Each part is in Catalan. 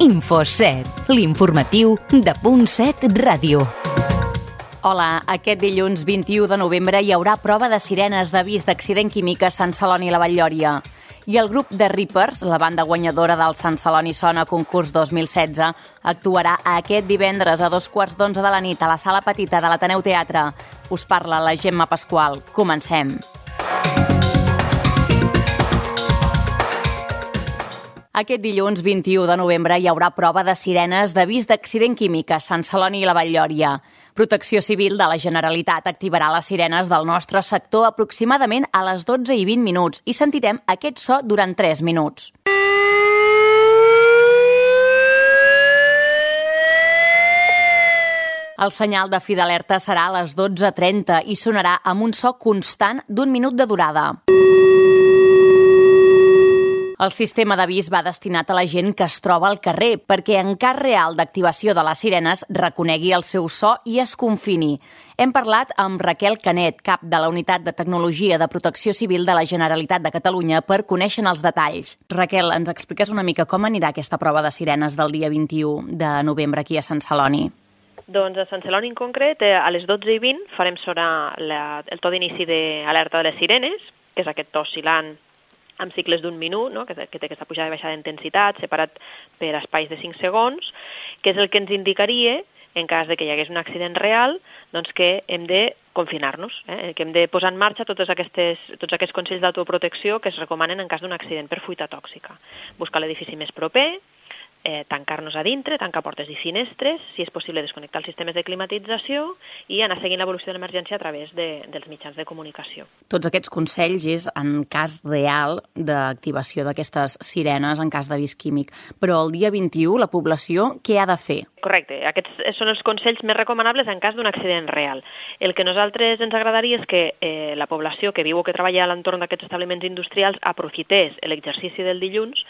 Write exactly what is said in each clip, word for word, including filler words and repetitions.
InfoSet, l'informatiu de Punt set Ràdio. Hola, aquest dilluns vint-i-u de novembre hi haurà prova de sirenes d'avís d'accident químic a Sant Celoni i la Vall-lloria. I el grup de Reapers, la banda guanyadora del Sant Celoni Sona Concurs dos mil setze, actuarà aquest divendres a dos quarts d'onze de la nit a la Sala Petita de l'Ateneu Teatre. Us parla la Gemma Pasqual. Comencem. Aquest dilluns vint-i-u de novembre hi haurà prova de sirenes d'avís d'accident químic a Sant Celoni i la Vall-lloria. Protecció Civil de la Generalitat activarà les sirenes del nostre sector aproximadament a les dotze i vint minuts i sentirem aquest so durant tres minuts. El senyal de fi d'alerta serà a les dotze trenta i sonarà amb un so constant d'un minut de durada. El sistema d'avís va destinat a la gent que es troba al carrer perquè en cas real d'activació de les sirenes reconegui el seu so i es confini. Hem parlat amb Raquel Canet, cap de la Unitat de Tecnologia de Protecció Civil de la Generalitat de Catalunya, per conèixer els detalls. Raquel, ens expliques una mica com anirà aquesta prova de sirenes del dia vint-i-u de novembre aquí a Sant Celoni? Doncs a Sant Celoni en concret, a les dotze i vint farem sonar la, el to d'inici d'alerta de les sirenes, que és aquest to oscil·lant amb cicles d'un minut, no? que, que té aquesta pujada i baixada d'intensitat, separat per espais de cinc segons, que és el que ens indicaria, en cas de que hi hagués un accident real, doncs que hem de confinar-nos, eh? que hem de posar en marxa totes aquestes, tots aquests consells d'autoprotecció que es recomanen en cas d'un accident per fuita tòxica. Buscar l'edifici més proper, Eh, tancar-nos a dintre, tancar portes i finestres, si és possible desconnectar els sistemes de climatització i anar seguint l'evolució de l'emergència a través de, dels mitjans de comunicació. Tots aquests consells és en cas real d'activació d'aquestes sirenes en cas d'avís químic. Però el dia vint-i-u la població què ha de fer? Correcte, aquests són els consells més recomanables en cas d'un accident real. El que a nosaltres ens agradaria és que eh, la població que viu o que treballa a l'entorn d'aquests establiments industrials aprofités l'exercici del dilluns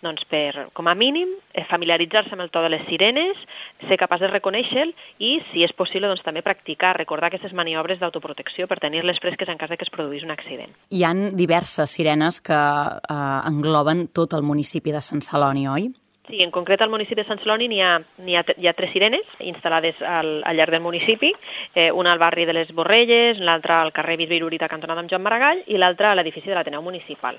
doncs, per, com a mínim, familiaritzar-se amb el to de les sirenes, ser capaç de reconèixer-lo i, si és possible, doncs, també practicar, recordar aquestes maniobres d'autoprotecció per tenir-les fresques en cas de que es produís un accident. Hi ha diverses sirenes que eh, engloben tot el municipi de Sant Celoni, oi? Sí, en concret al municipi de Sant Celoni n'hi ha, n'hi ha, hi ha tres sirenes instal·lades al, al llarg del municipi, eh, una al barri de les Borrelles, l'altra al carrer Bisbe Irurita, cantonada amb Joan Maragall, i l'altra a l'edifici de l'Ateneu Municipal.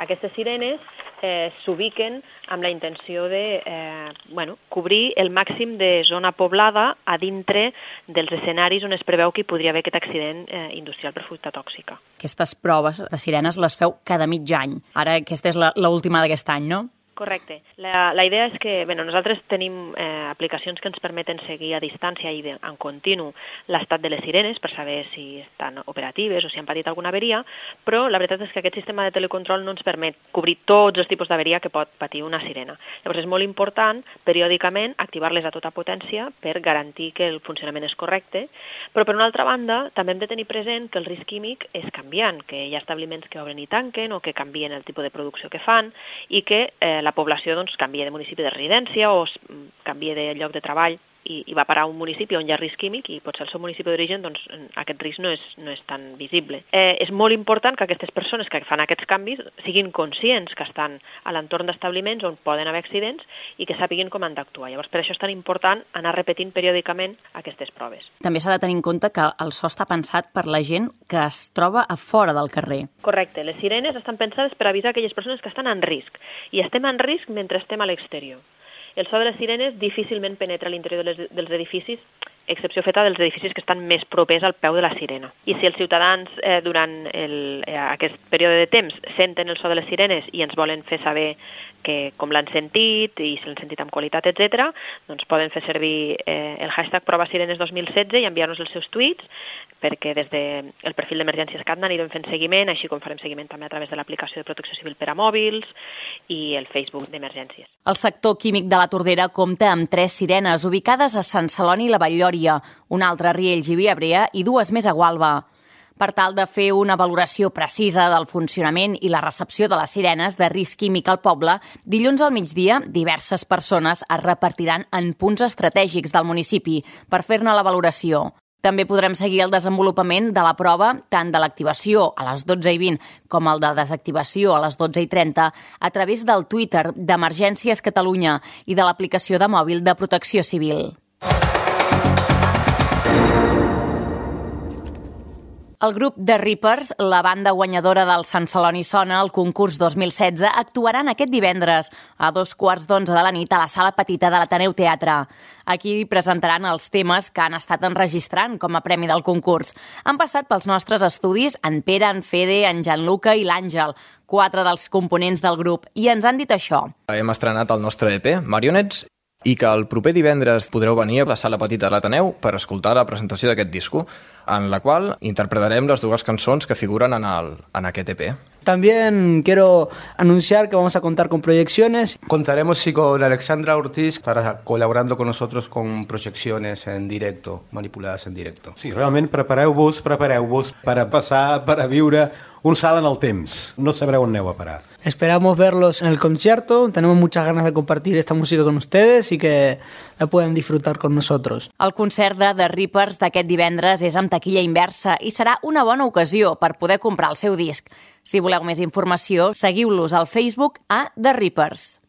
Aquestes sirenes eh, s'ubiquen amb la intenció de eh, bueno, cobrir el màxim de zona poblada a dintre dels escenaris on es preveu que hi podria haver aquest accident eh, industrial per fuita tòxica. Aquestes proves de sirenes les feu cada mig any. Ara aquesta és l'última d'aquest any, no? Correcte. La, la idea és que bueno, nosaltres tenim eh, aplicacions que ens permeten seguir a distància i de, en continu l'estat de les sirenes per saber si estan operatives o si han patit alguna averia, però la veritat és que aquest sistema de telecontrol no ens permet cobrir tots els tipus d'averia que pot patir una sirena. Llavors és molt important periòdicament activar-les a tota potència per garantir que el funcionament és correcte, però per una altra banda també hem de tenir present que el risc químic és canviant, que hi ha establiments que obren i tanquen o que canvien el tipus de producció que fan i que eh, la població doncs, canvia de municipi de residència o canvia de lloc de treball i, i va parar a un municipi on hi ha risc químic i potser el seu municipi d'origen doncs, aquest risc no és, no és tan visible. Eh, és molt important que aquestes persones que fan aquests canvis siguin conscients que estan a l'entorn d'establiments on poden haver accidents i que sàpiguen com han d'actuar. Llavors, per això és tan important anar repetint periòdicament aquestes proves. També s'ha de tenir en compte que el so està pensat per la gent que es troba a fora del carrer. Correcte. Les sirenes estan pensades per avisar aquelles persones que estan en risc i estem en risc mentre estem a l'exterior. El so de les sirenes difícilment penetra a l'interior de les, dels edificis, excepció feta dels edificis que estan més propers al peu de la sirena. I si els ciutadans eh, durant el, eh, aquest període de temps senten el so de les sirenes i ens volen fer saber que com l'han sentit i si l'han sentit amb qualitat, etcètera, doncs poden fer servir eh, el hashtag Prova Sirenes dos mil setze i enviar-nos els seus tuits perquè des del de perfil d'Emergències Catna anirem fent seguiment, així com farem seguiment també a través de l'aplicació de Protecció Civil per a mòbils i el Facebook d'Emergències. El sector químic de la Tordera compta amb tres sirenes ubicades a Sant Celoni i la Vall-lloria, una altra a Riells i Viabrea i dues més a Gualba. Per tal de fer una valoració precisa del funcionament i la recepció de les sirenes de risc químic al poble, dilluns al migdia diverses persones es repartiran en punts estratègics del municipi per fer-ne la valoració. També podrem seguir el desenvolupament de la prova tant de l'activació a les dotze i vint com el de desactivació a les dotze i trenta a través del Twitter d'Emergències Catalunya i de l'aplicació de mòbil de Protecció Civil. El grup The Reapers, la banda guanyadora del Sant Celoni Sona al concurs dos mil setze, actuaran aquest divendres a dos quarts d'onze de la nit a la Sala Petita de l'Ateneu Teatre. Aquí presentaran els temes que han estat enregistrant com a premi del concurs. Han passat pels nostres estudis en Pere, en Fede, en Gianluca i l'Àngel, quatre dels components del grup, i ens han dit això. Hem estrenat el nostre E P, Marionets, i que el proper divendres podreu venir a la Sala Petita de l'Ateneu per escoltar la presentació d'aquest disco, en la qual interpretarem les dues cançons que figuren en, el, en aquest E P. También quiero anunciar que vamos a contar con proyecciones. Contaremos sí, con Alexandra Ortiz, estará colaborando con nosotros con proyecciones en directo, manipuladas en directo. Sí, realment prepareu-vos, prepareu-vos per a passar, per a viure un salt en el temps. No sabreu on aneu a parar. Esperamos verlos en el concierto. Tenemos muchas ganas de compartir esta música con ustedes y que la puedan disfrutar con nosotros. El concert de The Reapers d'aquest divendres és amb taquilla inversa i serà una bona ocasió per poder comprar el seu disc. Si voleu més informació, seguiu-los al Facebook a The Reapers.